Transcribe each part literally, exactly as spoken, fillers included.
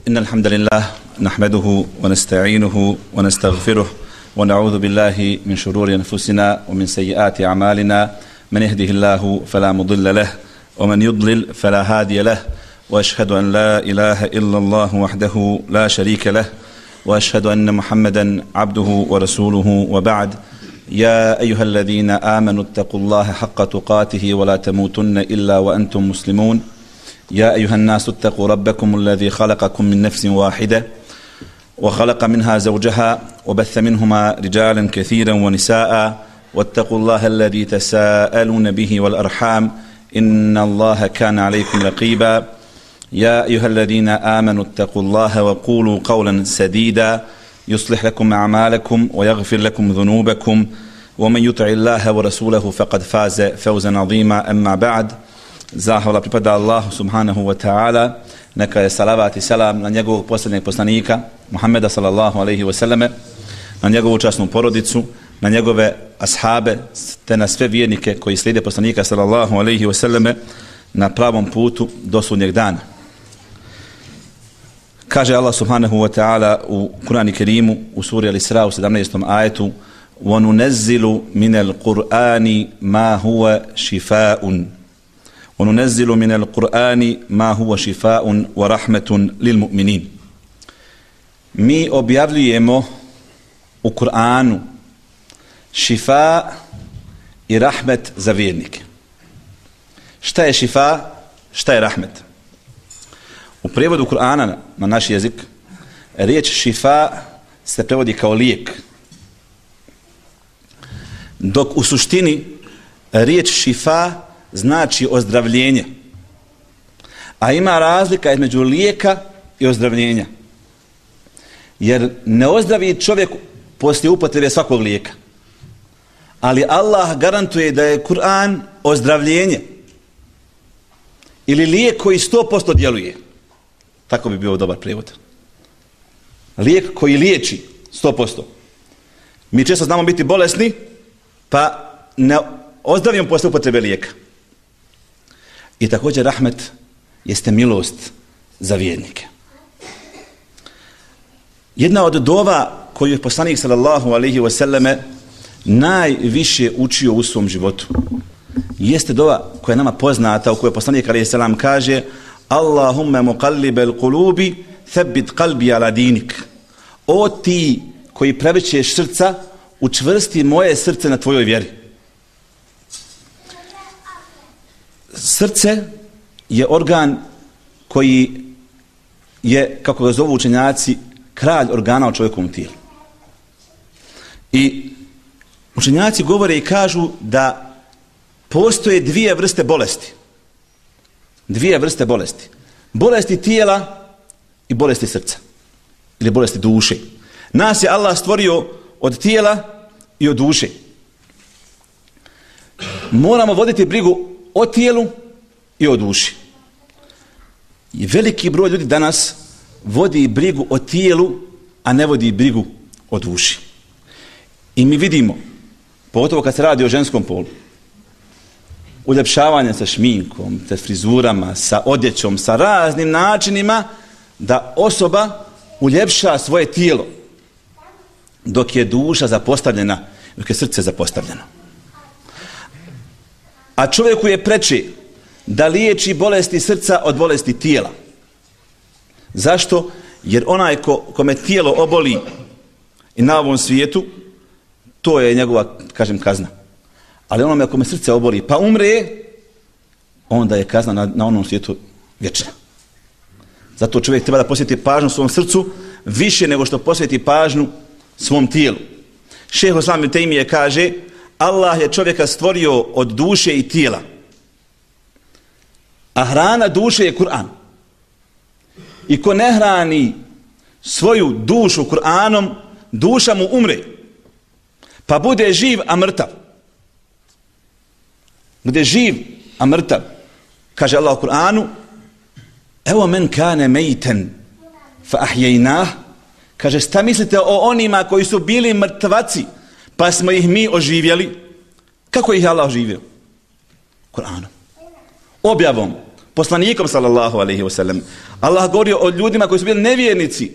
إن الحمد لله نحمده ونستعينه ونستغفره ونعوذ بالله من شرور أنفسنا ومن سيئات أعمالنا من يهده الله فلا مضل له ومن يضلل فلا هادي له وأشهد أن لا إله إلا الله وحده لا شريك له وأشهد أن محمدا عبده ورسوله وبعد يا أيها الذين آمنوا اتقوا الله حق تقاته ولا تموتن إلا وأنتم مسلمون يا أيها الناس اتقوا ربكم الذي خلقكم من نفس واحدة وخلق منها زوجها وبث منهما رجالا كثيرا ونساء واتقوا الله الذي تساءلون به والأرحام إن الله كان عليكم رقيبا يا أيها الذين آمنوا اتقوا الله وقولوا قولا سديدا يصلح لكم أعمالكم ويغفر لكم ذنوبكم ومن يطع الله ورسوله فقد فاز فوزا عظيما أما بعد. Zahvala pripada Allahu subhanahu wa ta'ala, neka je salavat i salam na njegovog posljednjeg poslanika Muhammeda sallallahu alaihi wa sallame, na njegovu časnu porodicu, na njegove ashabe, te na sve vjernike koji slijede poslanika sallallahu alaihi wa sallame na pravom putu do sudnjeg dana. Kaže Allah subhanahu wa ta'ala u Kur'anu Kerimu u suri Al-Isra u sedamnaestom ajetu: وَنُنَزِّلُ مِنَ الْقُرْآنِ مَا هُوَ شِفَاءٌ وَنُنَزِّلُ مِنَ الْقُرْآنِ مَا هُوَ شِفَاءٌ وَرَحْمَةٌ لِلْمُؤْمِنِينَ. Mi objavljujemo u Kur'anu šifa i rahmet za vjernike. Šta je šifa? Šta je rahmet? U prevodu Kur'ana na naš jezik riječ šifa se prevodi kao lijek, dok u suštini riječ šifa znači ozdravljenje. A ima razlika između lijeka i ozdravljenja. Jer ne ozdravi čovjek poslije upotrebe svakog lijeka. Ali Allah garantuje da je Kur'an ozdravljenje ili lijek koji sto posto djeluje. Tako bi bio dobar prijevod. Lijek koji liječi sto posto. Mi često znamo biti bolesni, pa ne ozdravimo poslije upotrebe lijeka. I također rahmet jeste milost za vjernike. Jedna od dova koju je poslanik sallallahu alejhi ve selleme najviše učio u svom životu jeste dova koja je nama poznata, u kojoj poslanik alejhi selam kaže: Allahumma muqallibal qulubi thabbit qalbi ala dinik. O ti koji prevrćeš srca, učvrsti moje srce na tvojoj vjeri. Srce je organ koji je, kako ga zovu učenjaci, kralj organa u čovjekovom tijelu. I učenjaci govore i kažu da postoje dvije vrste bolesti. Dvije vrste bolesti. Bolesti tijela i bolesti srca. Ili bolesti duše. Nas je Allah stvorio od tijela i od duše. Moramo voditi brigu o tijelu i o duši. I veliki broj ljudi danas vodi brigu o tijelu, a ne vodi brigu o duši. I mi vidimo, pogotovo kad se radi o ženskom polu, uljepšavanje sa šminkom, sa frizurama, sa odjećom, sa raznim načinima da osoba uljepša svoje tijelo, dok je duša zapostavljena, dok je srce zapostavljeno. A čovjeku je preče da liječi bolesti srca od bolesti tijela. Zašto? Jer onaj ko, kome tijelo oboli i na ovom svijetu, to je njegova, kažem, kazna. Ali onome kome srce oboli pa umre, onda je kazna na, na onom svijetu vječna. Zato čovjek treba da posveti pažnju svom srcu više nego što posveti pažnju svom tijelu. Šejh Islam ibn Tejmije kaže: Allah je čovjeka stvorio od duše i tijela, a hrana duše je Kur'an. I ko ne hrani svoju dušu Kur'anom, duša mu umre, pa bude živ, a mrtav. Bude živ, a mrtav. Kaže Allah u Kur'anu: evo men kane mejten fa ahjejnah. Kaže, šta mislite o onima koji su bili mrtvaci, pa smo ih mi oživjeli? Kako ih je Allah oživio? Kur'anom. Objavom. poslanikom sallallahu alejhi ve sellem. Allah govori o ljudima koji su bili nevjernici,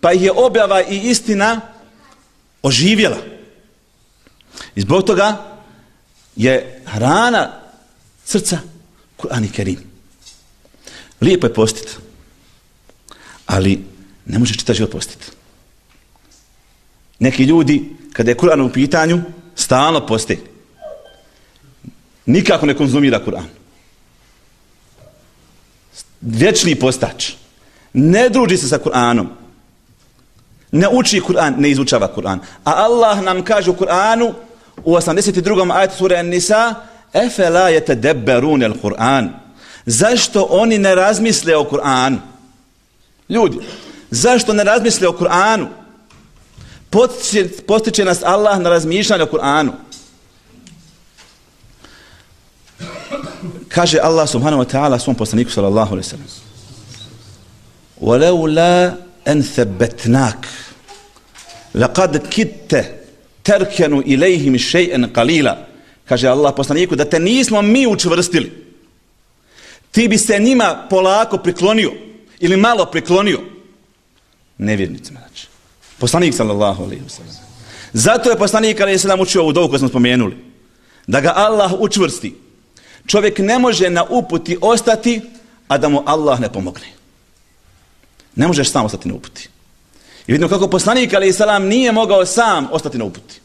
pa ih je objava i istina oživjela. I zbog toga je hrana srca Kur'an i Kerim. Lijepo je postiti, ali ne možeš čitav život postiti. Neki ljudi, kada je Kur'an u pitanju, stalno poste. Nikako ne konzumira Kur'an. Vječni postač. Ne druži se sa Kur'anom. Ne uči Kur'an, ne izučava Kur'an. A Allah nam kaže u Kur'anu, u osamdeset drugom ajetu sure An-Nisa, efela yetadabbarun al-Kur'an. Zašto oni ne razmisle o Kur'anu? Ljudi, zašto ne razmisle o Kur'anu? Postiče, postiče nas Allah na razmišljanje o Kur'anu. Kaže Allah subhanahu wa ta'ala svom poslaniku sallallahu alaihi sallam: وَلَوْلَا أَنْ ثَبَّتْنَاكَ لَقَدْ كِدْتَ تَرْكَنُ إِلَيْهِمْ شَيْئًا قَلِيلًا. Kaže Allah poslaniku, da te nismo mi učvrstili, ti bi se njima polako priklonio ili malo priklonio. Nevjernicima, znači. Poslanik sallallahu alejhi ve sellem. Zato je poslanik alejhi selam učio ovu dovu koju smo spomenuli. Da ga Allah učvrsti. Čovjek ne može na uputi ostati, a da mu Allah ne pomogne. Ne možeš sam ostati na uputi. I vidimo kako poslanik alejhi selam nije mogao sam ostati na uputi.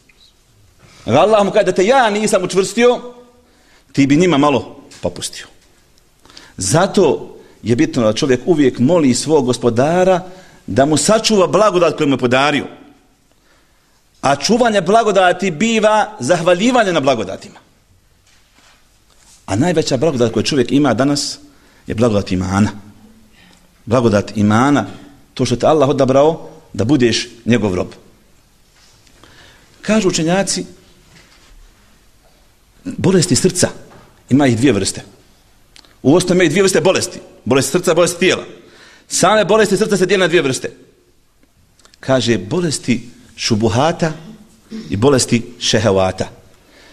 Allah mu kaže da te ja nisam učvrstio, ti bi njima malo popustio. Zato je bitno da čovjek uvijek moli svog gospodara da mu sačuva blagodat koju mu je podario. A čuvanje blagodati biva zahvaljivanje na blagodatima. A najveća blagodat koju čovjek ima danas je blagodat imana. Blagodat imana, to što te Allah odabrao da budeš njegov rob. Kažu učenjaci, bolesti srca ima ih dvije vrste. U osnovi imaju dvije vrste bolesti. Bolesti srca, bolesti tijela. Same bolesti srca se dijele na dvije vrste. Kaže, bolesti šubuhata i bolesti šehevata.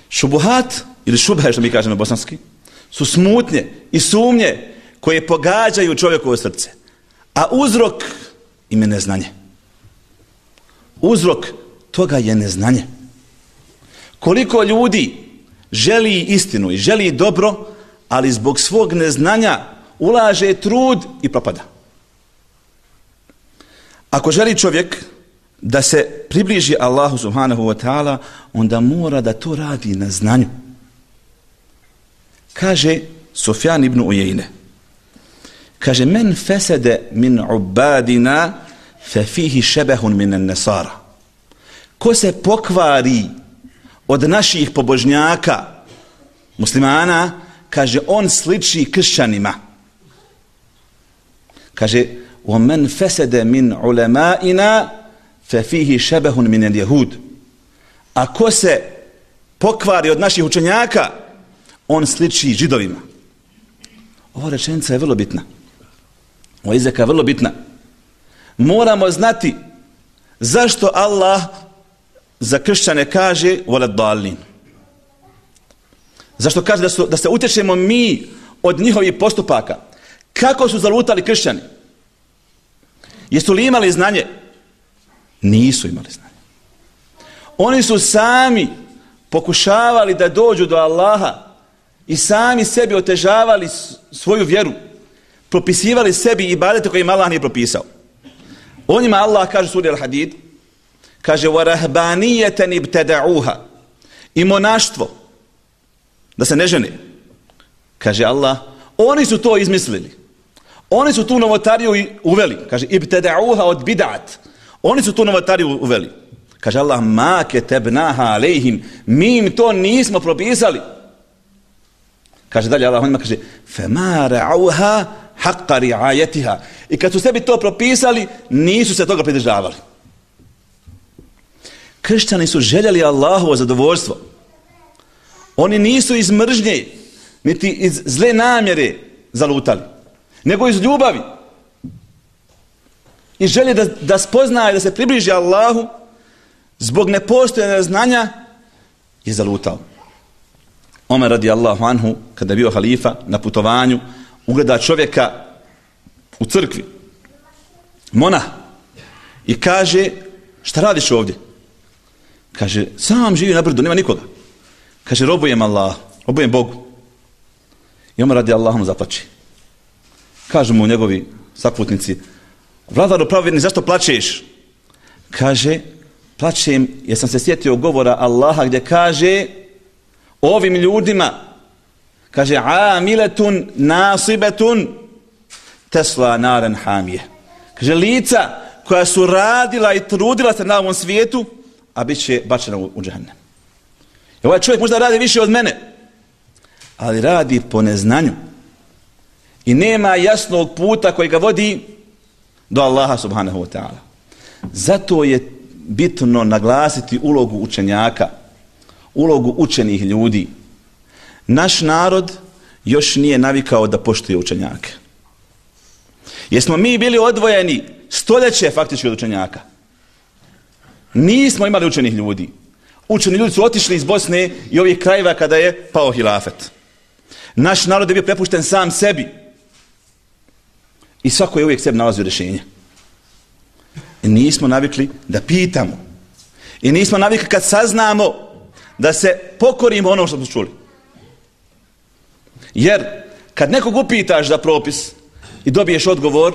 Šubuhat, ili šubhe, što mi kažemo bosanski, su smutnje i sumnje koje pogađaju čovjekovo srce. A uzrok im je neznanje. Uzrok toga je neznanje. Koliko ljudi želi istinu i želi dobro, ali zbog svog neznanja ulaže trud i propada. Ako želi čovjek da se približi Allahu subhanahu wa ta'ala, onda mora da to radi na znanju. Kaže Sufjan ibn Ujejne, kaže, men fesede min ubadina fe fihi šebehun min nesara. Ko se pokvari od naših pobožnjaka, muslimana, kaže, on sliči kršćanima. Kaže, وَمَنْ فَسَدَ مِنْ عُلَمَائِنَا فَفِيهِ شَبَهٌ مِنَ الْيَهُودِ. A ko se pokvari od naših učenjaka, on sliči židovima. Ova rečenica je vrlo bitna. Ova izreka je vrlo bitna. Moramo znati zašto Allah za kršćane kaže وَلَدْ دَالِينَ. Zašto kaže da, su, da se utječemo mi od njihovih postupaka? Kako su zalutali kršćani? Jesu li imali znanje? Nisu imali znanje. Oni su sami pokušavali da dođu do Allaha i sami sebi otežavali svoju vjeru. Propisivali sebi ibadete koje im Allah nije propisao. O njima Allah kaže suri Al-Hadid, kaže وَرَهْبَانِيَّةً ابْتَدَعُوهَا. I monaštvo, da se ne žene. Kaže Allah, oni su to izmislili. Oni su tu novotariju uveli. Kaže, ibteda'uha od bid'at. Oni su tu novotariju uveli. Kaže Allah, ma ketebnaha alejhim. Mi im to nismo propisali. Kaže dalje Allah, on ima kaže, fema ra'uha haqqa ri'ayatiha. I kad su sebi to propisali, nisu se toga pridržavali. Kršćani su željeli Allahovo zadovoljstvo. Oni nisu iz mržnje, niti iz zle namjere zalutali, nego iz ljubavi. I želje da, da spoznaje, da se približi Allahu, zbog nepostojanja znanja je zalutao. Omer radijallahu anhu, kada je bio halifa na putovanju, ugleda čovjeka u crkvi, monah, i kaže, šta radiš ovdje? Kaže, sam živi na brdu, nema nikoga. Kaže, robujem Allah, robujem Bogu. I on radi Allahom zaplače. Kažu mu njegovi saputnici, vladaru pravovjerni, zašto plačeš? Kaže, plačem jer sam se sjetio govora Allaha gdje kaže ovim ljudima, kaže, amiletun nasibetun tesla naren hamije. Kaže, lica koja su radila i trudila se na ovom svijetu, a bit će bačena u, u džehennem. I ovaj čovjek možda radi više od mene, ali radi po neznanju. I nema jasnog puta koji ga vodi do Allaha subhanahu wa ta'ala. Zato je bitno naglasiti ulogu učenjaka, ulogu učenih ljudi. Naš narod još nije navikao da poštuje učenjake. Jer smo mi bili odvojeni stoljeće faktički od učenjaka. Nismo imali učenih ljudi. Učeni ljudi su otišli iz Bosne i ovih krajeva kada je pao hilafet. Naš narod je bio prepušten sam sebi. I svako je uvijek sebi nalazio rješenje. I nismo navikli da pitamo. I nismo navikli kad saznamo da se pokorimo ono što smo čuli. Jer kad nekog upitaš za propis i dobiješ odgovor,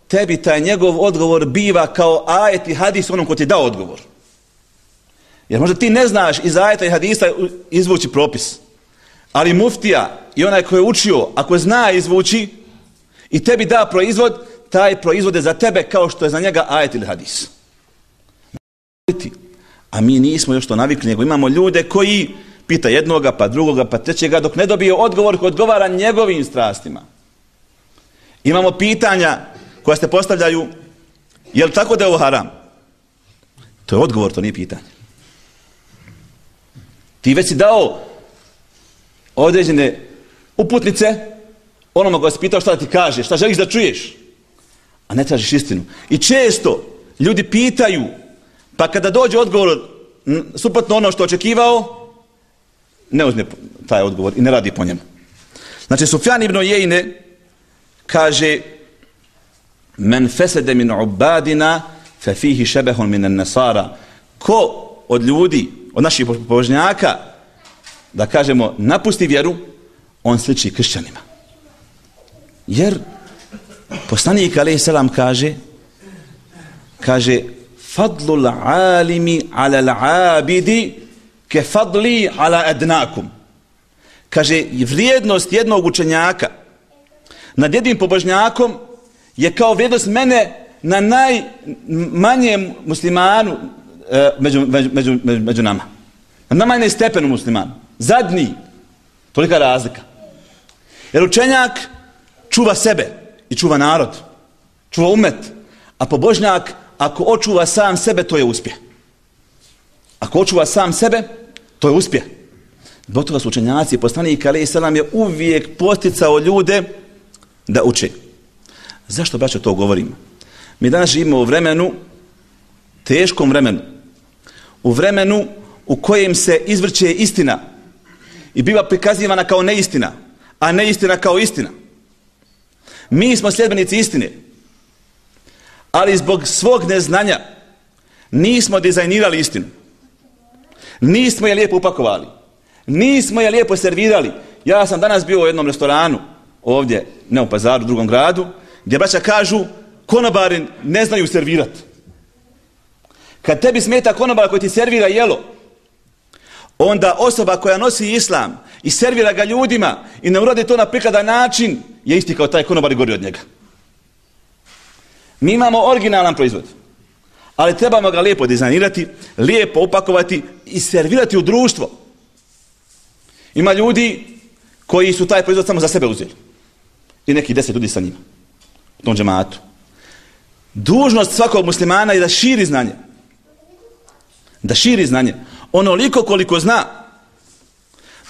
tebi taj njegov odgovor biva kao ajet i hadis onom ko ti dao odgovor. Jer možda ti ne znaš iz ajeta i hadisa izvući propis. Ali muftija i onaj ko je učio, ako zna izvući i tebi da proizvod, taj proizvod je za tebe kao što je za njega ajet ili hadis. A mi nismo još to navikli, nego imamo ljude koji pita jednoga, pa drugoga, pa trećega, dok ne dobije odgovor koji odgovara njegovim strastima. Imamo pitanja koja se postavljaju, je li tako da je ovo haram? To je odgovor, to nije pitanje. Ti već si dao određene uputnice onome koja si pitao šta da ti kaže, šta želiš da čuješ, a ne tražiš istinu. I često ljudi pitaju, pa kada dođe odgovor suprotno ono što očekivao, ne uzme taj odgovor i ne radi po njemu. Znači, Sufjan ibn Ujejne kaže, men fesede min ubadina fe fihi šebehun min nasara. Ko od ljudi, od naših pobožnjaka, da kažemo, napusti vjeru, on sliči kršćanima. Jer poslanik alejhi selam kaže, kaže, fadlul alimi ala l'abidi ke fadli ala adnakum. Kaže, vrijednost jednog učenjaka nad jednim pobožnjakom je kao vrijednost mene na najmanjem muslimanu e, među, među, među, među nama. Na najmanjem stepenu muslimanu. Zadnji. Tolika razlika. Jer učenjak čuva sebe i čuva narod. Čuva umet. A pobožnjak, ako očuva sam sebe, to je uspjeh. Ako očuva sam sebe, to je uspjeh. Zbog toga su učenjaci, poslanik alejhi selam je uvijek posticao ljude da uče. Zašto, braćo, to govorim? Mi danas živimo u vremenu, teškom vremenu, u vremenu u kojem se izvrće istina i biva prikazivana kao neistina, a neistina kao istina. Mi smo sljedbenici istine, ali zbog svog neznanja nismo dizajnirali istinu. Nismo je lijepo upakovali. Nismo je lijepo servirali. Ja sam danas bio u jednom restoranu, ovdje, ne u Pazaru, u drugom gradu, gdje braća kažu, konobari ne znaju servirati. Kad tebi smeta konobar koji ti servira jelo, onda osoba koja nosi islam i servira ga ljudima i ne uradi to na prikladan način, je isti kao taj konobar i gori od njega. Mi imamo originalan proizvod, ali trebamo ga lijepo dizajnirati, lijepo upakovati i servirati u društvo. Ima ljudi koji su taj proizvod samo za sebe uzeli. I neki deset ljudi sa njima. U tom džematu. Dužnost svakog muslimana je da širi znanje. Da širi znanje. Onoliko koliko zna.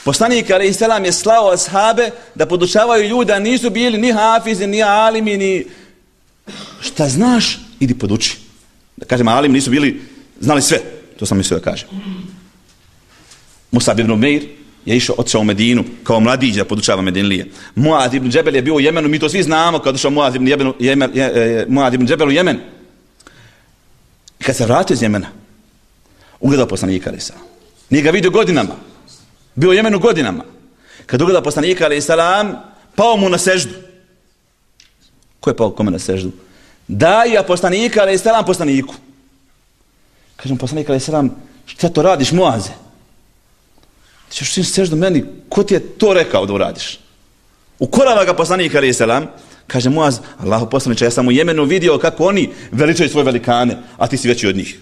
Poslanik alejhi selam je slao ashabe da podučavaju ljude, a nisu bili ni hafizi, ni alimi, ni... Šta znaš, idi poduči. Da kažem, alimi nisu bili, znali sve. To sam mislio da kažem. Musab ibn Umeir je išao, otišao u Medinu kao mladić da podučava Medinlije. Muaz ibn Džebel je bio u Jemenu, mi to svi znamo kad došao Muaz ibn, Jebel, Jemen, je, Muaz ibn Džebel u Jemen. I kad se vratio iz Jemena, ugledao poslanika alejhi selam. Nije ga vidio godinama. Bio u Jemenu godinama. Kad ugledao poslanika alejhi selam, pao mu na seždu. Ko je pao kome na seždu? Daja poslanika alejhi selam poslaniku. Kažem poslanik alejhi selam, šta to radiš, Muaze? Ti ćeš čim seždu meni, ko ti je to rekao da uradiš? Ukorava ga poslanik alejhi selam, kaže Muaz, Allahu poslaniče, ja sam u Jemenu vidio kako oni veličaju svoje velikane, a ti si veći od njih.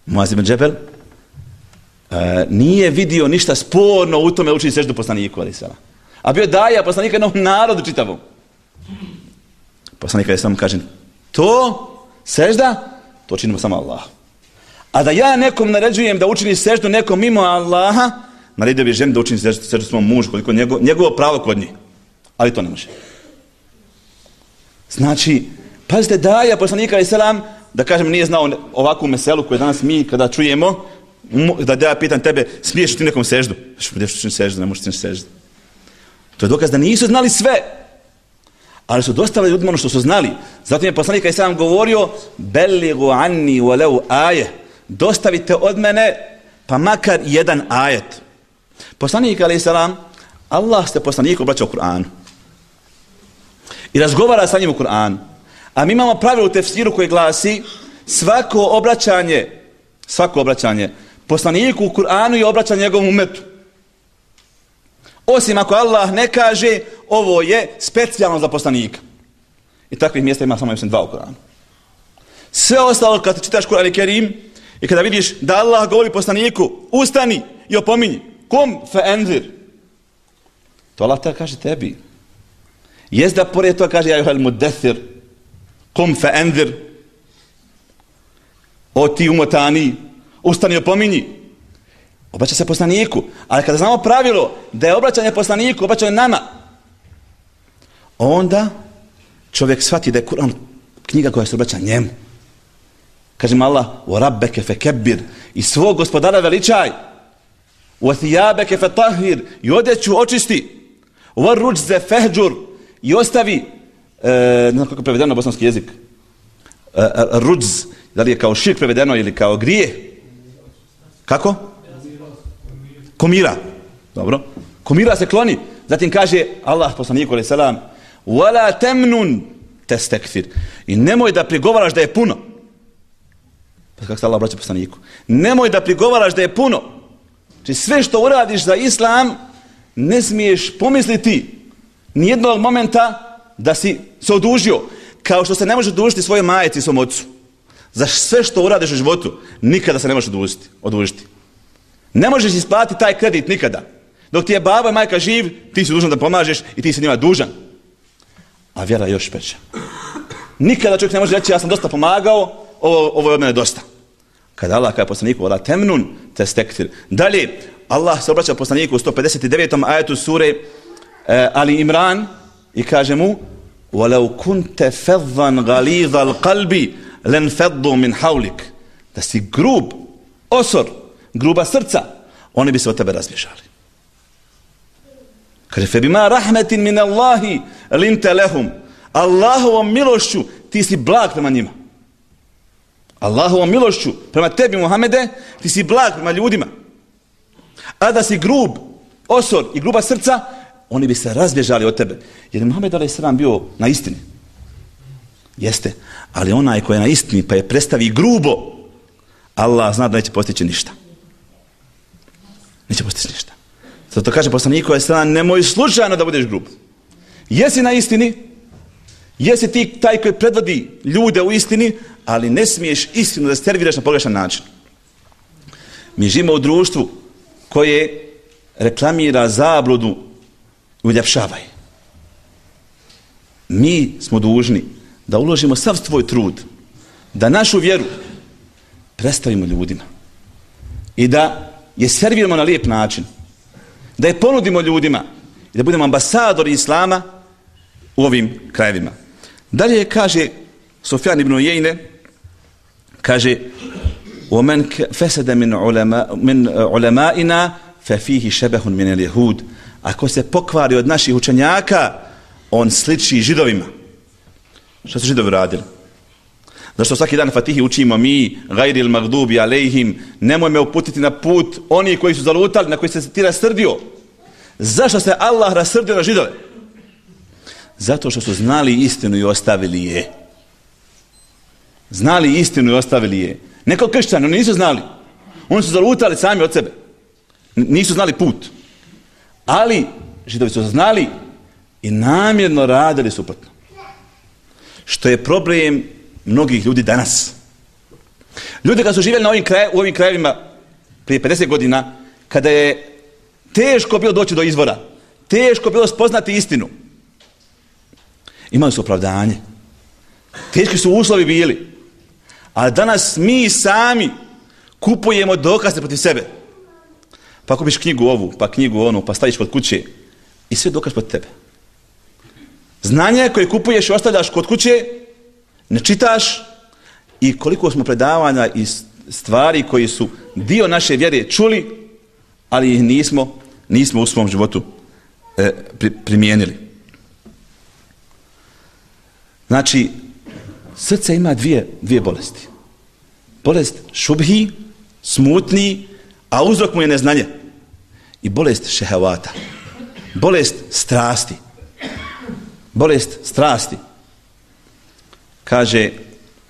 Muaz ibn Džebel uh, nije vidio ništa sporno u tome učiti seždu poslaniku alejhi selam. A bio daja poslanika jednom narodu čitavom. Poslanik alejhi selam kaže, to sežda, to činimo samo Allah. A da ja nekom naređujem da učini seždu nekom mimo Allaha, naredio bi ženi da učini seždu, seždu svom mužu, koliko njego, njegovo pravo kod njih. Ali to ne može. Znači, pazite, daja poslanika alejhi selam, da kažem, nije znao ovakvu meselu koju danas mi kada čujemo, da ja pitam tebe, smiješ ti nekom seždu? Što ćeš seždu, ne možeš ti seždu. To je dokaz da nisu znali sve, ali su dostavili ljudima ono što su znali. Zato je poslanik alejhi selam govorio, belligu anni walau aje, dostavite od mene pa makar jedan ajet. Poslanik alejhi selam, Allah se poslaniku obraća u Kur'anu i razgovara sa njim u Kur'anu. A mi imamo pravilo u tefsiru koje glasi, svako obraćanje, svako obraćanje poslaniku u Kur'anu je obraćanje njegovom umetu. Osim ako Allah ne kaže, ovo je specijalno za poslanika. I takvih mjesta ima samo dva u Kur'anu. Sve ostalo kad čitaš Kur'an i Kerim i kada vidiš da Allah govori poslaniku, ustani i opominji. Kum fe enzir. To Allah te kaže tebi. Jest da pored toga kaže, ja juhel muddethir, kum fe enzir, o ti umotani, ustani i opominji. Obraća se poslaniku. Ali kada znamo pravilo da je obraćanje poslaniku, obraćanje nama, onda čovjek shvati da je Kur'an knjiga koja se obraća njemu. Kaže mu Allah, o rabbeke fe kebbir, i svog gospodara veličaj, o thijabeke fe tahir, i odjeću očisti, o ruđze fehđur, i ostavi, e, ne znam kako je prevedeno na bosanski jezik, e, ruđz, da li je kao širk prevedeno ili kao grije? Kako? Komira. Dobro. Komira se kloni. Zatim kaže Allah poslaniku alejhi selam, wala tamnun tastakthir. I nemoj da prigovaraš da je puno. Pa kako se Allah obraća poslaniku? Nemoj da prigovaraš da je puno. Znači sve što uradiš za islam ne smiješ pomisliti nijednog momenta da si se odužio. Kao što se ne može odužiti svojoj majci i svom ocu. Za sve što uradiš u životu nikada se ne možeš odužiti. odužiti. Ne možeš isplatiti taj kredit nikada. Dok ti je baba i majka živ, ti si dužan da pomažeš i ti si njima dužan. A vjera je još peća. Nikada čovjek ne može reći, ja sam dosta pomagao, ovo, ovo je od mene dosta. Kada Allah kaže poslaniku, wala temnun testektir. Dalje, Allah se obraća poslaniku u sto pedeset devetom ajetu sure eh, Ali Imran i kaže mu, walau kunte faddan ghalidhal qalbi lan faddu min hawlik. Da si grub, osor, gruba srca, oni bi se od tebe razbježali. Kaže, fe bima rahmetin min Allahi linte lehum. Allahovom milošću ti si blag prema njima. Allahovom milošću prema tebi, Muhammede, ti si blag prema ljudima. A da si grub, osor i gruba srca, oni bi se razbježali od tebe. Jer je Muhammed alejhi selam bio na istini. Jeste. Ali onaj koji je na istini pa je predstavi grubo, Allah zna da neće postići ništa. Neće postići ništa. Zato kaže poslaniku alejhi selam, nemoj slučajno da budeš grub. Jesi na istini, jesi ti taj koji predvodi ljude u istini, ali ne smiješ istinu da serviraš na pogrešan način. Mi živimo u društvu koje reklamira zabludu i uljepšavaj. Mi smo dužni da uložimo sav svoj trud, da našu vjeru predstavimo ljudima i da je serviramo na lijep način, da je ponudimo ljudima i da budemo ambasadori islama u ovim krajevima. Dalje kaže Sufjan ibn Uyeyne, kaže وَمَنْ فَسَدَ مِنْ عُلَمَائِنَا fe fihi šebehun minel jehud, ako se pokvari od naših učenjaka, on sliči židovima. Što su židovi radili? Zašto svaki dan Fatihi učimo mi, gajril magdubi alejhim, nemoj me uputiti na put oni koji su zalutali, na koji se ti rasrdio. Zašto se Allah rasrdio na židove? Zato što su znali istinu i ostavili je. Znali istinu i ostavili je. Neko kršćani, oni nisu znali. Oni su zalutali sami od sebe. Nisu znali put. Ali židovi su znali i namjerno radili suprotno. Što je problem mnogih ljudi danas. Ljudi kad su živjeli na ovim kraj, u ovim krajevima prije pedeset godina, kada je teško bilo doći do izvora, teško bilo spoznati istinu, imali su opravdanje. Teški su uslovi bili. A danas mi sami kupujemo dokaze protiv sebe. Pa kupiš knjigu ovu, pa knjigu onu, pa staviš kod kuće i sve dokaž protiv tebe. Znanje koje kupuješ i ostavljaš kod kuće, ne čitaš, i koliko smo predavanja i stvari koji su dio naše vjere čuli, ali ih nismo, nismo u svom životu e, pri, primijenili. Znači, srce ima dvije, dvije bolesti. Bolest šubhi, smutni, a uzrok mu je neznanje. I bolest šehevata. Bolest strasti. Bolest strasti. Kaže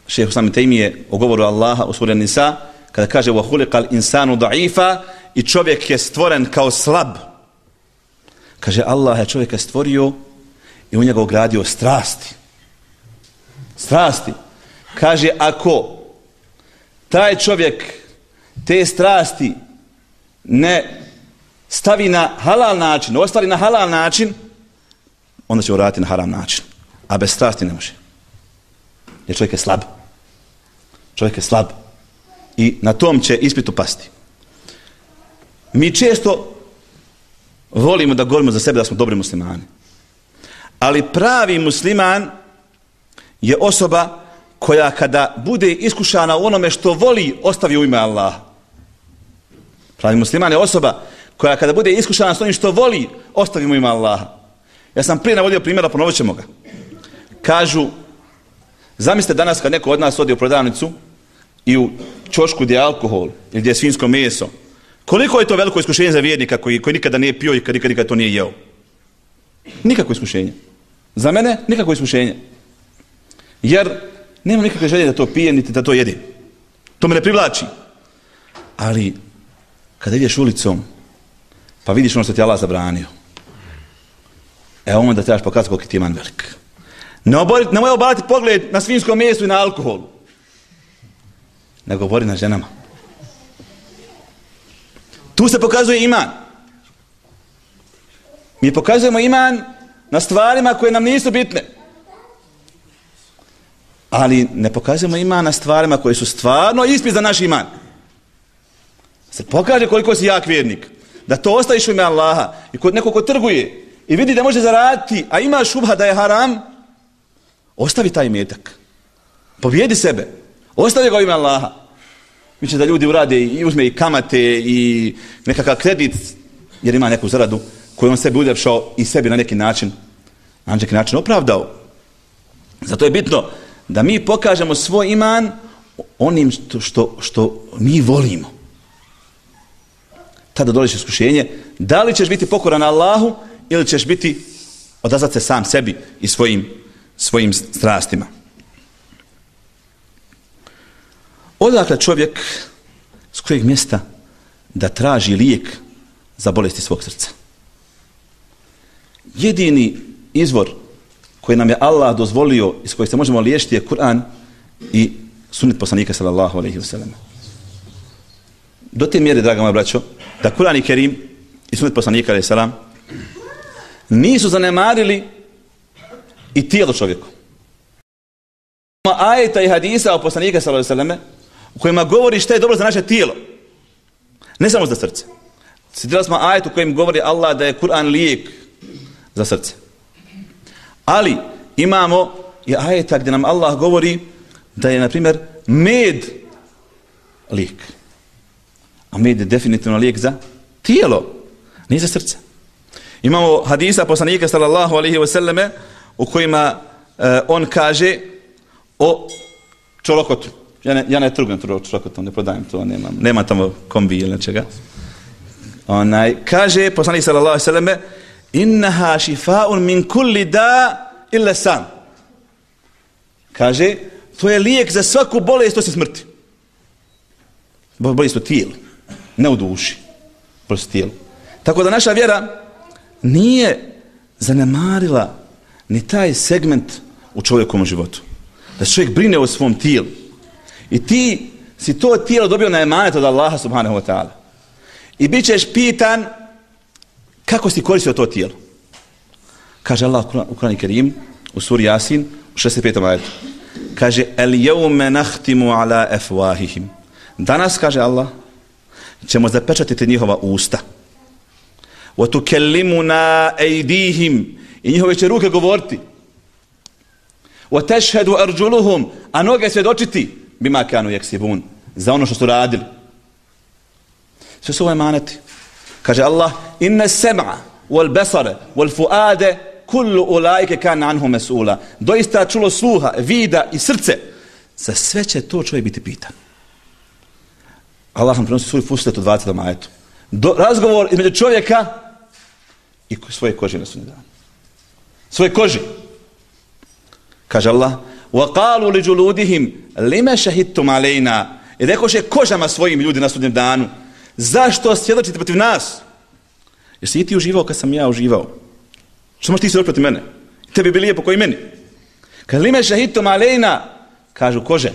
šejh Islam ibn Tejmije o govoru Allaha u suri Nisa, kada kaže wa khuliqal insanu da'ifa, i čovjek je stvoren kao slab. Kaže Allah je čovjeka stvorio i u njega ugradio strasti. Strasti. Kaže ako taj čovjek te strasti ne stavi na halal način, ostali na halal način, onda će uraditi na haram način. A bez strasti ne može. Jer čovjek je slab. Čovjek je slab. I na tom će ispitu pasti. Mi često volimo da govorimo za sebe da smo dobri muslimani. Ali pravi musliman je osoba koja kada bude iskušana u onome što voli, ostavi u ime Allaha. Pravi musliman je osoba koja kada bude iskušana s onim što voli, ostavi u ime Allaha. Ja sam prije navodio primjera, ponovit ćemo ga. Kažu, zamislite danas kad neko od nas odi u prodavnicu i u ćošku gdje je alkohol ili gdje je svinjsko meso, koliko je to veliko iskušenje za vjernika koji, koji nikada nije pio i kad nikada, nikada to nije jeo? Nikako iskušenje. Za mene nikako iskušenje. Jer nema nikakve želje da to pije niti da to jede. To me ne privlači. Ali kada ideš ulicom pa vidiš ono što ti Allah zabranio, e onda trebaš pokazati koliko ti je iman velik. Ne oboriti, nemoj obarati pogled na svinjskom mesu i na alkoholu. Nego obori na ženama. Tu se pokazuje iman. Mi pokazujemo iman na stvarima koje nam nisu bitne. Ali ne pokazujemo iman na stvarima koje su stvarno ispit za naš iman. Se pokaže koliko si jak vjernik. Da to ostaviš u ime Allaha. I kod nekog ko trguje i vidi da može zaraditi, a ima šubha da je haram, ostavi taj metak. Pobjedi sebe. Ostavi ga u ime Allaha. Miče da ljudi urade i uzme i kamate i nekakav kredit, jer ima neku zaradu koju on sebi uljepšao i sebi na neki način, na neki način opravdao. Zato je bitno da mi pokažemo svoj iman onim što, što, što mi volimo. Tada dolazi iskušenje, da li ćeš biti pokoran Allahu ili ćeš biti odazvat se sam sebi i svojim, svojim strastima. Odakle čovjek s kojeg mjesta da traži lijek za bolesti svog srca? Jedini izvor koji nam je Allah dozvolio i s kojeg se možemo liječiti je Kur'an i sunnet poslanika sallallahu alejhi ve sellem. Do te mjere, draga moja braćo, da Kur'an i Kerim i sunnet poslanika alejhi selam nisu zanemarili i tijelo čovjeku. Ima ajeta i hadisa o poslanika sallallahu alejhi ve sellem u kojima govori šta je dobro za naše tijelo. Ne samo za srce. Citirali smo ajet u kojem govori Allah da je Kur'an lijek za srce. Ali imamo i ajeta gdje nam Allah govori da je, na primjer, med lijek. A med je definitivno lijek za Tijelo, nije za srce. Imamo hadisa poslanika sallallahu alejhi ve selleme u kojima uh, on kaže o čolokotu. Ja ne, ja ne trgujem čolokotom, ne prodajem to, nemam, nema tamo kombi ili nečega. Onaj, kaže poslanik sallallahu alejhi ve selleme innaha šifa'un min kulli da illa sam. Kaže, to je lijek za svaku bolest osim smrti. Bolest u tijelu, ne u duši, bolest u tijelu. Tako da naša vjera nije zanemarila ni taj segment u čovjekovom životu. Da se čovjek brine o svom tijelu. I ti si to tijelo dobio na emanet od Allaha subhanahu wa ta'ala. I bit ćeš pitan kako si koristio to tijelo. Kaže Allah u Kur'anu Kerim, u suri Jasin, u šezdeset petom ajetu. Kaže, el jevme nahtimu ala efwahihim. Danas, kaže Allah, ćemo zapečatiti njihova usta. Wa tukellimuna ejdihim. I njihove će ruke govoriti. Wa tešhedu arđuluhum. A noge svjedočiti bima kanu jeksibun. Za ono što su radili. Sve su ovo emaneti. Kaže Allah, inna sem'a wal basara wal fuade kullu ulaike kana anhu mas'ula. Doista čulo sluha, vida i srce. Za sve će to čovjek biti pitan. Allah nam prenosi svoj Fussilet u dvadesetom ajetu. Do, razgovor između čovjeka i svoje kože na sudnjem danu. Svoje kože. Kaže Allah, wa qalu li juludihim lima shahidtum alejna. I rekoše kožama svojim ljudi na sudnjem danu. Zašto svjedočite protiv nas? Jesi i ti uživao kad sam ja uživao? Što možeš ti svjedočiti protiv mene? Tebi bi lijepo koji meni. Kad lima shahidtum alejna, kažu kože.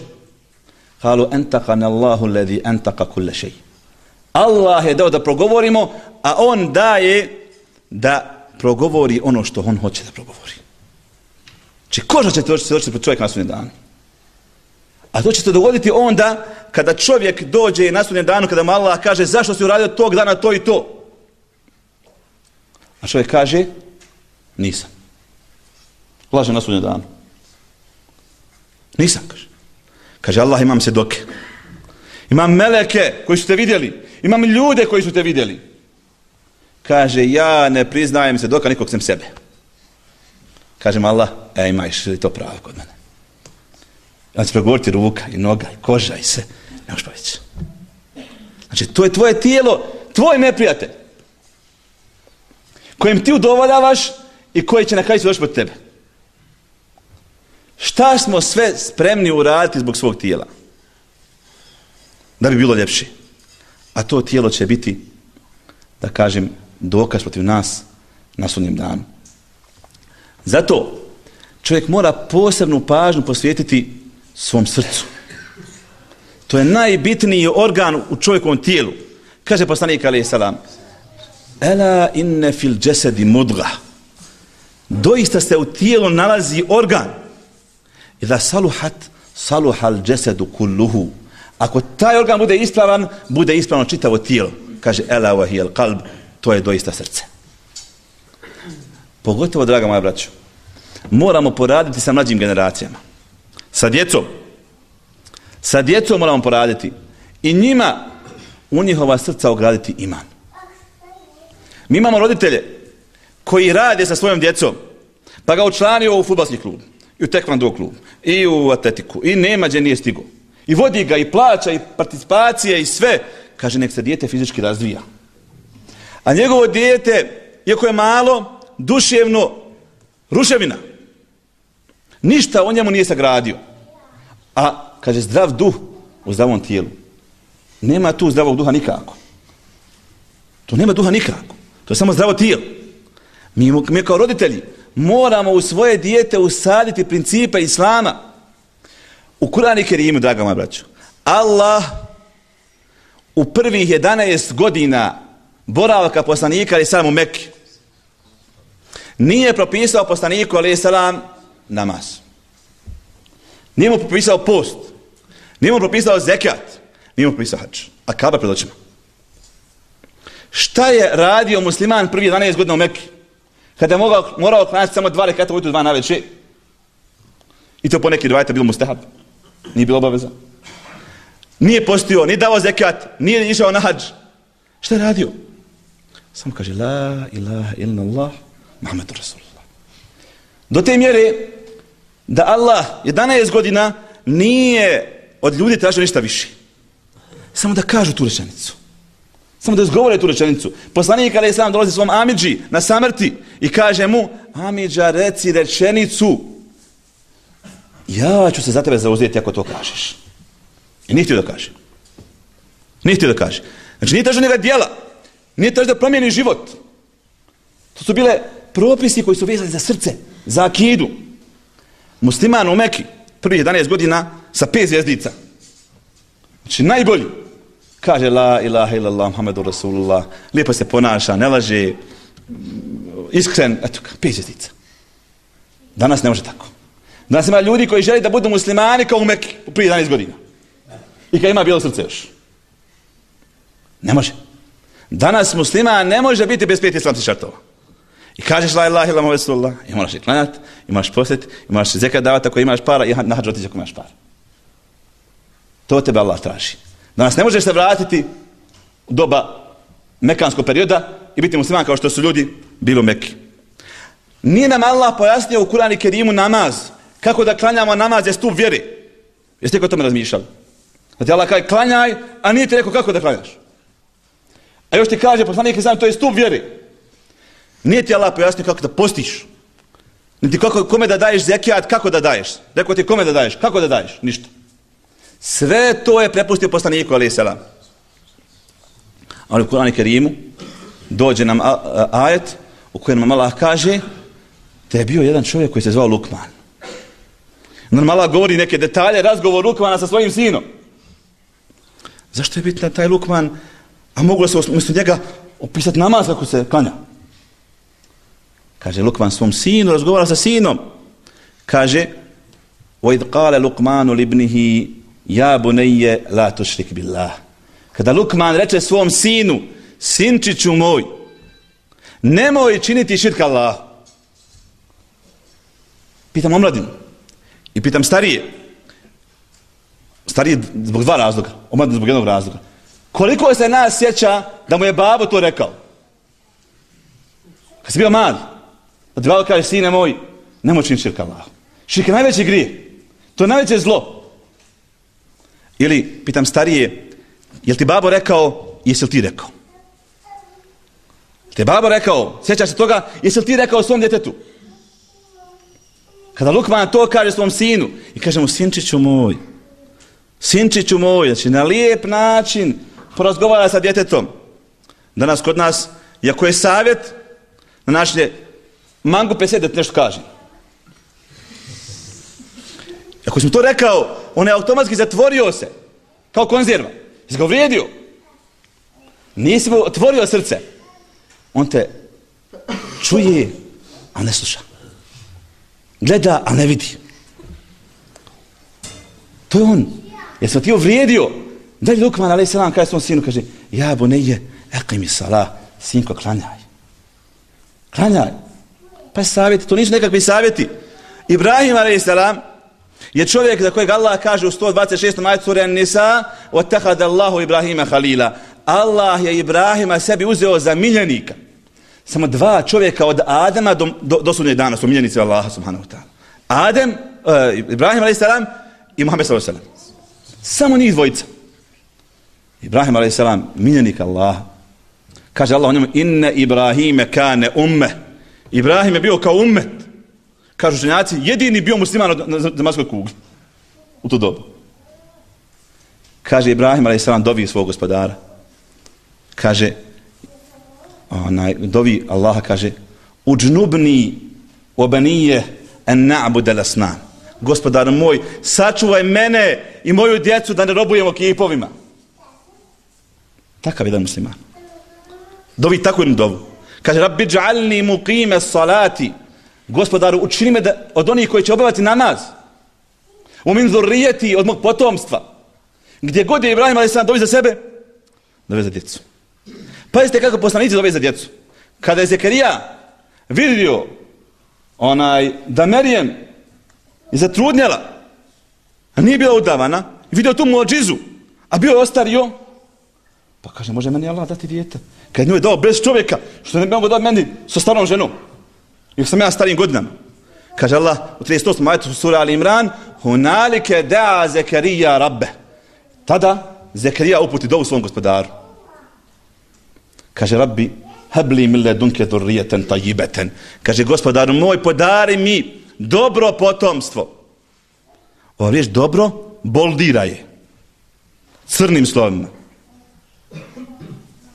Kalu entaqana Allahu alladhi antaqa kull shay. Allah je dao da progovorimo, a on daje da progovori ono što on hoće da progovori. Či koža će te svjedočiti protiv čovjeka na sudnjem danu. A to će se dogoditi onda kada čovjek dođe na sudnjem danu, kada mu Allah kaže zašto si uradio tog dana to i to. A čovjek kaže nisam. Laže na sudnjem danu. Nisam, kaže. Kaže Allah, imam svjedoke. Imam meleke koji su te vidjeli. Imam ljude koji su te vidjeli. Kaže, ja ne priznajem svjedoka nikog sem sebe. Kaže mu Allah, e, imaš li to pravo kod mene? Ja ću pregovoriti ruka i noga i koža i sve. Ne možeš povići. Znači, to je tvoje tijelo, tvoj neprijatelj. Kojim ti udovoljavaš i koji će na kraju svjedočiti pod tebe. Šta smo sve spremni uraditi zbog svog tijela? Da bi bilo ljepše. A to tijelo će biti, da kažem, dokaz protiv nas na sudnjem danu. Zato čovjek mora posebnu pažnju posvetiti svom srcu. To je najbitniji organ u čovjekovom tijelu. Kaže poslanik alejhi selam: Ela inne fil jasadi mudga. Doista se u tijelu nalazi organ. Iza saluhat saluhal jasadu kulluhu. Ako taj organ bude ispravan, bude ispravno čitavo tijelo. Kaže ela wa hiyal qalb, to je doista srce. Pogotovo, draga moja braćo, moramo poraditi sa mlađim generacijama. Sa djecom. Sa djecom moramo poraditi. I njima u njihova srca ograditi iman. Mi imamo roditelje koji rade sa svojom djecom, pa ga učlanio u fudbalski klub, i u tekvando klub, i u atletiku, i nema gdje nije stigo. I vodi ga, i plaća, i participacije, i sve. Kaže, nek se dijete fizički razvija. A njegovo dijete, iako je malo, duševno, ruševina. Ništa o njemu nije sagradio. A, kaže, zdrav duh u zdravom tijelu. Nema tu zdravog duha nikako. To nema duha nikako. To je samo zdravo tijelo. Mi, mi kao roditelji moramo u svoje dijete usaditi principe Islama. U Kur'anu Kerimu, draga moja braćo, Allah u prvih jedanaest godina boravaka poslanika alejhi selam u Mekki nije propisao poslaniku alejhi selam namaz. Nije mu propisao post. Nije mu propisao zekat. Nije mu propisao hadž. A Kaba pred očima. Šta je radio musliman prvi jedanaest godina u Mekki? Kada je mogao, morao klanjati samo dva rekata ujutro, dva navečer. I to po neki rivajete bilo mustahab. Nije bilo obaveza. Nije postio, nije dao zekat, nije išao na hadž. Šta je radio? Samo kaže la ilaha illallah Muhammedur Rasulullah. Do te mjere da Allah jedanaest godina nije od ljudi tražio ništa više. Samo da kažu tu rečenicu. Samo da izgovore tu rečenicu. Poslanik alejhi selam dolazi svom amidži na samrti i kaže mu: amidža, reci rečenicu. Ja ću se za tebe zauzeti ako to kažeš. I nije htio da kaže. Nije htio da kaže. Znači nije tražio njega djela. Nije tražio da promijeni život. To su bile propisi koji su vezani za srce, za akidu. Musliman u Meki, prvih jedanaest godina sa pet zvjezdica. Znači najbolji. Kaže la ilaha illallah Muhammedur Rasulullah. Lijepo se ponaša, ne laže, iskren, eto, pet zvjezdica. Danas ne može tako. Danas ima ljudi koji žele da budu muslimani kao u Meki, prije jedanaest godina. I kad ima bijelo srce još. Ne može. Danas musliman ne može biti bez pet islamskih šartova. I kažeš la ilaha illallah Muhammedur Rasulullah, i moraš i klanjati, i moraš posjeti, i moraš zekat davati ako imaš para, i na hadž otići ako imaš para. To tebe Allah traži. Danas ne možeš se vratiti u doba mekanskog perioda i biti musliman kao što su ljudi bili u Meki. Nije nam Allah pojasnio u Kur'anu i Kerimu namaz. Kako da klanjamo namaz je stup vjere. Jeste li o tome razmišljali? Da ti Allah kaže klanjaj, a nije ti rekao kako da klanjaš. A još ti kaže poslanik sam to je stup vjere. Nije ti Allah pojasnio kako da postiš. Niti kako, kome da daješ zekijat, kako da daješ. Rekao ti kome da daješ, kako da daješ, ništa. Sve to je prepustio poslaniku alejhi selam. Ali u Kur'anu i Kerimu dođe nam ajet u kojem nam Allah kaže da je bio jedan čovjek koji se zvao Lukman. Normalno govori neke detalje, razgovor Lukmana sa svojim sinom. Zašto je bitan taj Lukman, a moglo se umjesto njega opisati namaz kako se klanja? Kaže Lukman svom sinu, razgovara sa sinom. Kaže وَإِذْ قَالَ لُقْمَانُ لِبْنِهِ يَا بُنَيَّ لَا تُشْرِكْ بِاللَّهِ. Kada Lukman reče svom sinu, sinčiću moj, nemoj činiti širk Allah. Pitam omladinu i pitam starije. Starije zbog dva razloga, omladinu zbog jednog razloga. Koliko se nas sjeća da mu je babo to rekao? Kad si bio mali, da ti babo kaže, sine moj, nemoj činiti širk Allah. Širk je najveći grije. To je najveće zlo. Ili, pitam starije, jel ti babo rekao, jesi li ti rekao? Te babo rekao, sjećaš se toga, jesi li ti rekao svom djetetu? Kada Lukman to kaže svom sinu i kaže mu, sinčiću moj, sinčiću moj, znači na lijep način porazgovara sa djetetom. Danas kod nas, iako je savjet, na naš je mangu pesed da ti nešto kaže. Ako si mu to rekao, on je automatski zatvorio se, kao konzerva. Jesi ga uvrijedio. Nisi mu otvorio srce. On te čuje, a ne sluša. Gleda, a ne vidi. To je on. Jer sam ti uvrijedio. Dalje Lukman, alejhi selam, kaže svom sinu, kaže, ja bunejje, eqimi salah, sinko, klanjaj. Klanjaj. Pa savjeti, to nisu nekakvi savjeti. Ibrahim, alejhi selam, je čovjek za kojeg Allah kaže u sto dvadeset šestom ajetu sure An-Nisa وَاتَّخَذَ اللَّهُ إِبْرَاهِيمَ خَلِيلًا. Allah je Ibrahima sebi uzeo za miljenika. Samo dva čovjeka od Adama do, do, do sudnjeg dana su miljenici Allaha subhanahu wa ta'ala. Adem, uh, Ibrahim alejhi selam i Muhammed sallallahu alejhi ve sellem. Samo njih dvojica. Ibrahim alejhi selam miljenik Allaha. Kaže Allah o njemu inne Ibrahime kane umme. Ibrahim je bio kao ummet. Kažu učenjaci, jedini bio musliman na zemaljskoj kugli. U to dobu. Kaže Ibrahim alejhi selam dovi svog gospodara. Kaže, onaj, dovi Allaha kaže, uđnubni obanije en na'budel asnam. Gospodar moj, sačuvaj mene i moju djecu da ne robujemo kipovima. Takav jedan musliman. Dovi takvu jednu dovu. Kaže, rabbi džalni muqime salati. Gospodaru, učini me da, od onih koji će obavati namaz. U min zurrijeti, od mog potomstva. Gdje god je Ibrahim alejhi selam dovi za sebe, dovi za djecu. Pazite kako poslanici dovi za djecu. Kada je Zekarija vidio onaj, da Merijem je zatrudnjela, a nije bila udavana, i vidio tu muadžizu, a bio je ostario, Pa kaže, može meni Allah dati dijete? Kad nju je dao bez čovjeka, što ne bi mogo dati meni sa starom ženom? Jer sam ja starim godinama. Kaže Allah u trideset osmom ajetu sura Ali Imran, hunalike da'a Zekarija rabbe. Tada Zekarija uputi dovu svom gospodaru. Kaže, Rabbi, habli min ledunke dhurrijatan tayyibatan. Kaže, gospodaru moj, podari mi dobro potomstvo. Ova riječ dobro boldira je. Crnim slovima.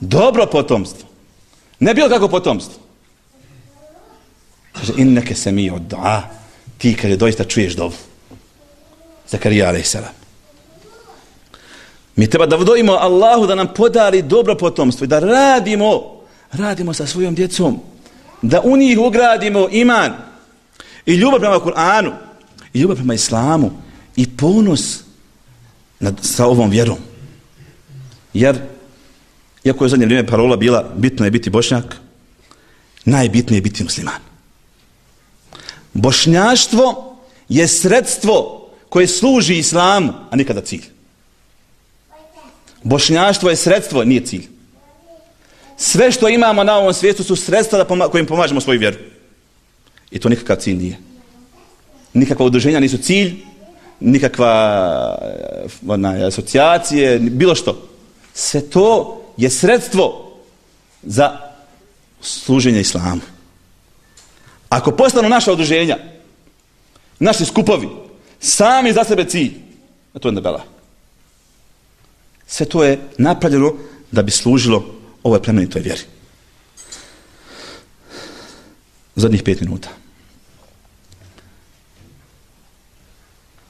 Dobro potomstvo. Ne bilo kako potomstvo. Kaže, inneke semi od du'a. Ti, kaže, doista čuješ dovu. Zakarija alejhi selam. Mi treba da dovimo Allahu da nam podari dobro potomstvo i da radimo, radimo sa svojom djecom, da u njih ugradimo iman i ljubav prema Kur'anu i ljubav prema Islamu i ponos nad, sa ovom vjerom. Jer, iako je u zadnje vrijeme parola bila bitno je biti Bošnjak, najbitnije je biti musliman. Bošnjaštvo je sredstvo koje služi Islamu, a nikada cilj. Bošnjaštvo je sredstvo, nije cilj. Sve što imamo na ovom svijetu su sredstva da poma- kojim pomažemo svoju vjeru. I to nikakav cilj nije. Nikakva udruženja nisu cilj, nikakva ona, asocijacije, bilo što. Sve to je sredstvo za služenje Islamu. Ako postanu naša udruženja, naši skupovi, sami za sebe cilj, a to je nebela. Sve to je napravljeno da bi služilo ovoj plemenitoj vjeri. Zadnjih pet minuta.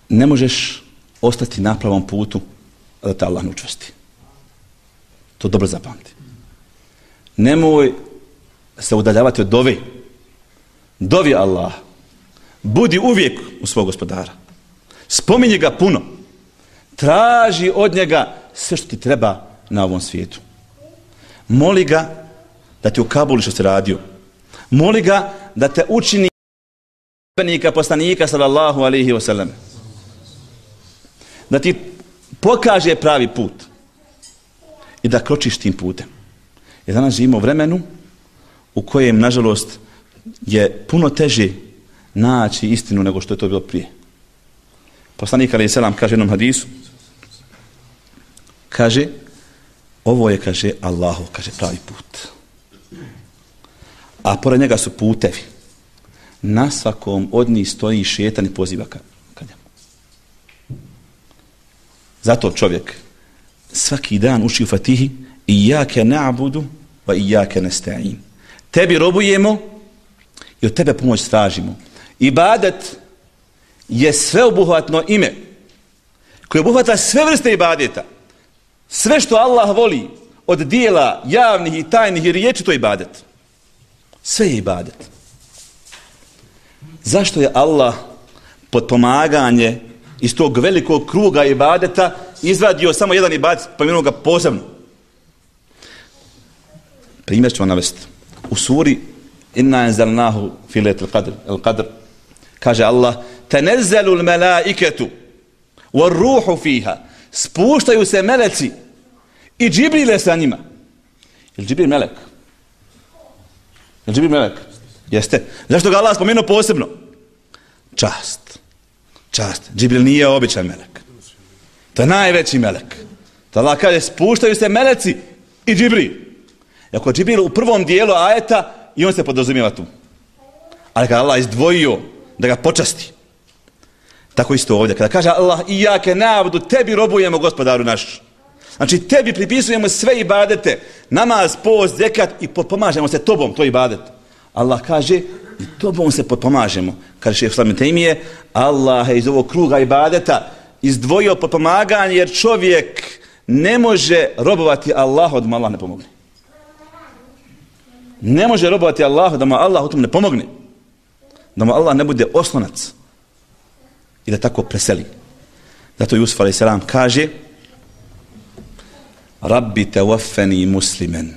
Ne možeš ostati na pravom putu, a da te Allah ne učvrsti. To dobro zapamti. Nemoj se udaljavati od dove. Dovi Allah. Budi uvijek u svog gospodara. Spominji ga puno. Traži od njega sve što ti treba na ovom svijetu. Moli ga da ti ukabuli što si radio. Moli ga da te učini poslanika, poslanika sallallahu alaihi wa sallam. Da ti pokaže pravi put. I da kročiš tim putem. Jer danas živimo u vremenu u kojem, nažalost, je puno teže naći istinu nego što je to bilo prije. Poslanik alejhi selam kaže u jednom hadisu, kaže, ovo je, kaže, Allahu, kaže, pravi put. A pored njega su putevi. Na svakom od njih stoji šetan i poziva ka, ka njemu. Zato čovjek svaki dan uči u Fatihi Iyake na'budu wa iyake nesta'in. Tebi robujemo i od tebe pomoć tražimo. Ibadet je sveobuhvatno ime koje obuhvata sve vrste ibadeta. Sve što Allah voli od dijela javnih i tajnih i riječi, to je ibadet. Sve je ibadet. Zašto je Allah potpomaganje iz tog velikog kruga ibadeta izvadio samo jedan ibadet, pomenuo ga posebno? Primjer ću vam navesti. U suri Inna anzalnahu fi lejlatil qadr, al-qadr, kaže Allah, tanazzalu al-malaikatu war-ruhu fiha. Spuštaju se meleci i Džibrile sa njima. Je li Džibril melek? Je li Džibril melek? Jeste. Zašto ga Allah spomenuo posebno? Čast. Čast. Džibril nije običan melek. To je najveći melek. To Allah kaže, spuštaju se meleci i Džibril. Ako Džibril u prvom dijelu ajeta, i on se podrazumijeva tu. Ali kada Allah izdvojio da ga počasti, tako isto ovdje. Kada kaže Allah, Iyake na'budu, tebi robujemo, gospodaru naš. Znači, tebi pripisujemo sve ibadete, namaz, post, zekat i potpomažemo se tobom, to je ibadet. Allah kaže, i tobom se potpomažemo. Kaže šejh Islam ibn Tejmije, Allah je iz ovog kruga ibadeta izdvojio potpomaganje, jer čovjek ne može robovati Allahu da mu Allah ne pomogne. Ne može robovati Allahu da mu Allah u tom ne pomogne. Da mu Allah ne bude oslonac. I da tako preseli. Zato Jusuf alejhi selam kaže, Rabbi tawaffani muslimen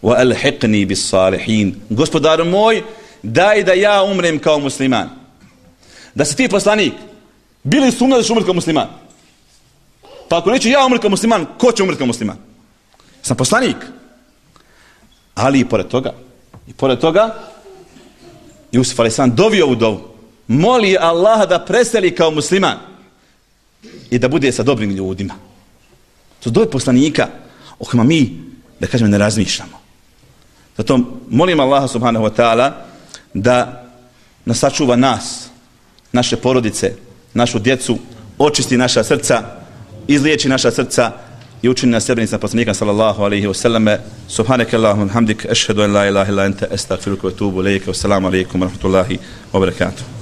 wa alhiqni bis salihin. Gospodaru moj, daj da ja umrem kao musliman. Da si ti poslanik, bili sumnja da ću umreti kao musliman. Pa ako neću ja umreti kao musliman, ko će umreti kao musliman? sam poslanik. Ali i pored toga, i pored toga, Jusuf alejselam dovio ovu dovu. Moli Allaha da preseli kao musliman i da bude sa dobrim ljudima. To dove poslanika o kojima mi, da kažem, ne razmišljamo. Zato molim Allaha subhanahu wa ta'ala da nas sačuva nas, naše porodice, našu djecu, očisti naša srca, izliječi naša srca i učini nas sredbenicima poslanika sallallahu alaihi wa sallame. Subhanaka Allahumma hamdik, ashhadu an la ilaha illa anta, astaghfiruka wa atubu ilayka. Wassalamu alaikum wa rahmatullahi wa barakatuh.